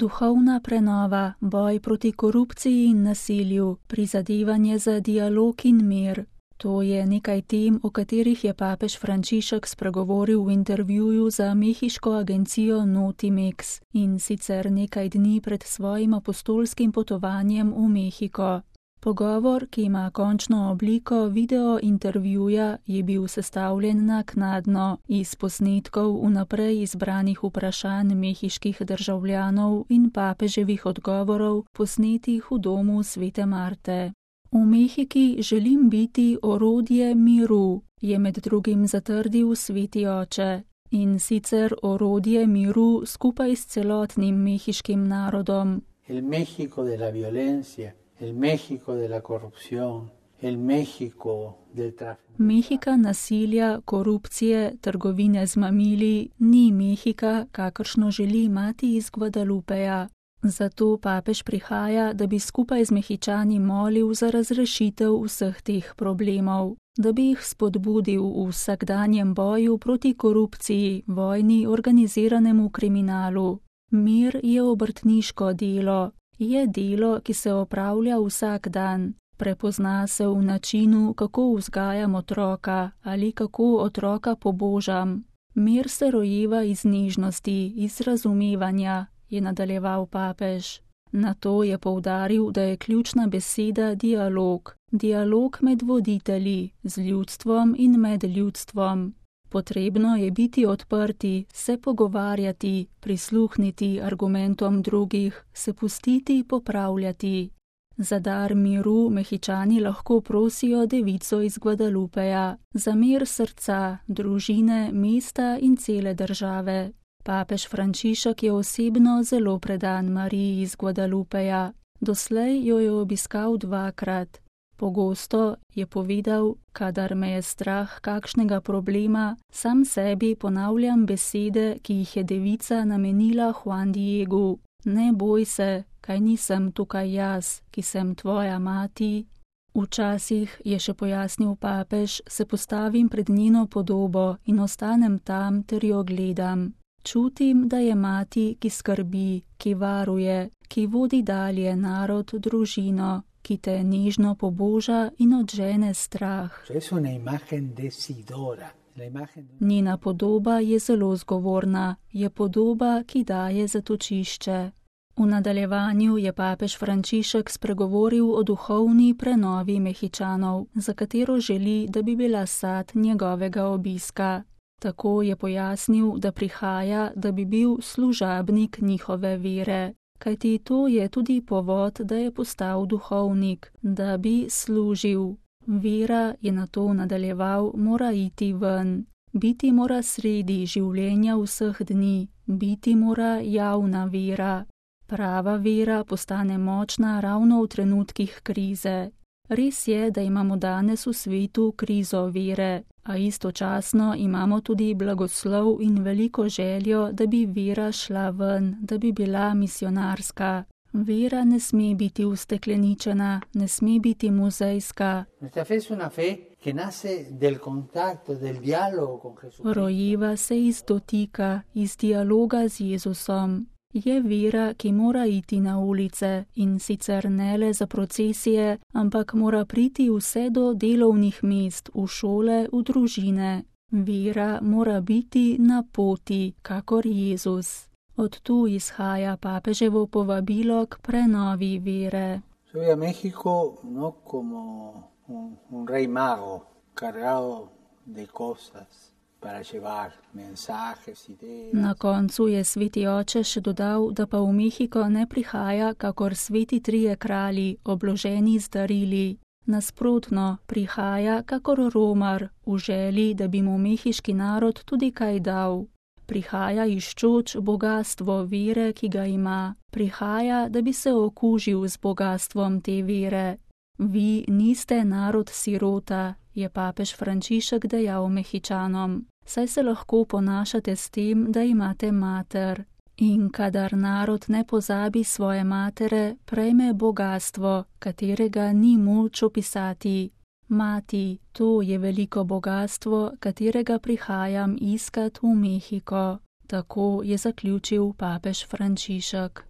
Duhovna prenova, boj proti korupciji in nasilju, prizadevanje za dialog in mir. To je nekaj tem, o katerih je papež Frančišek spregovoril v intervjuju za mehiško agencijo Notimex in sicer nekaj dni pred svojim apostolskim potovanjem v Mehiko. Pogovor, ki ima končno obliko video intervjuja, je bil sestavljen naknadno iz posnetkov vnaprej izbranih vprašanj mehiških državljanov in papeževih odgovorov, posnetih v domu Svete Marte. V Mehiki želim biti orodje miru, je med drugim zatrdil Sveti oče, in sicer orodje miru skupaj s celotnim mehiškim narodom. El México de la violencia, el México de la corrupción, el México del tráfico. Mehika nasilja, korupcije, trgovine z mamili ni Mehika, kakršno želi mati iz Guadalupeja. Zato papež prihaja, da bi skupaj z Mehičani molil za razrešitev vseh teh problemov, da bi jih spodbudil v vsakdanjem boju proti korupciji, vojni, organiziranemu kriminalu. Mir je obrtniško delo, je delo, ki se opravlja vsak dan. Prepozna se v načinu, kako vzgajam otroka ali kako otroka pobožam. Mir se rojeva iz nežnosti, iz razumevanja, je nadaljeval papež. Nato je poudaril, da je ključna beseda dialog. Dialog med voditelji, z ljudstvom in med ljudstvom. Potrebno je biti odprti, se pogovarjati, prisluhniti argumentom drugih, se pustiti popravljati. Za dar miru Mehičani lahko prosijo devico iz Guadalupeja, za mir srca, družine, mesta in cele države. Papež Frančišek je osebno zelo predan Mariji iz Guadalupeja. Doslej jo je obiskal 2-krat. Pogosto je povedal, kadar me je strah kakšnega problema, sam sebi ponavljam besede, ki jih je devica namenila Juan Diegu. Ne boj se, kaj nisem tukaj jaz, ki sem tvoja mati. Včasih, je še pojasnil papež, se postavim pred njeno podobo in ostanem tam ter jo gledam. Čutim, da je mati, ki skrbi, ki varuje, ki vodi dalje narod, družino, ki te nežno poboža in odžene strah. Njena podoba je zelo zgovorna, je podoba, ki daje zatočišče. V nadaljevanju je papež Frančišek spregovoril o duhovni prenovi Mehičanov, za katero želi, da bi bila sad njegovega obiska. Tako je pojasnil, da prihaja, da bi bil služabnik njihove vere, kajti to je tudi povod, da je postal duhovnik, da bi služil. Vera, je nato nadaljeval, mora iti ven, biti mora sredi življenja vseh dni, biti mora javna vera. Prava vera postane močna ravno v trenutkih krize. Res je, da imamo danes v svetu krizo vere, a istočasno imamo tudi blagoslov in veliko željo, da bi vera šla ven, da bi bila misionarska. Vera ne sme biti ustekleničena, ne sme biti muzejska. Rojeva se iz dotika, iz dialoga z Jezusom. Je vera, ki mora iti na ulice in sicer ne le za procesije, ampak mora priti vse do delovnih mest, v šole, v družine. Vera mora biti na poti, kakor Jezus. Od tu izhaja papeževo povabilo k prenovi vere. Soy a México no como un rey mago cargado de cosas. Na koncu je sveti oče še dodal, da pa v Mehiko ne prihaja kakor sveti trije kralji, obloženi z darili. Nasprotno, prihaja kakor romar, v želji, da bi mu mehiški narod tudi kaj dal. Prihaja iščoč bogastvo vere, ki ga ima. Prihaja, da bi se okužil z bogastvom te vere. Vi niste narod sirota, je papež Frančišek dejal Mehičanom. Saj se lahko ponašate s tem, da imate mater. In kadar narod ne pozabi svoje matere, prejme bogastvo, katerega ni moč opisati. Mati, to je veliko bogastvo, katerega prihajam iskat v Mehiko. Tako je zaključil papež Frančišek.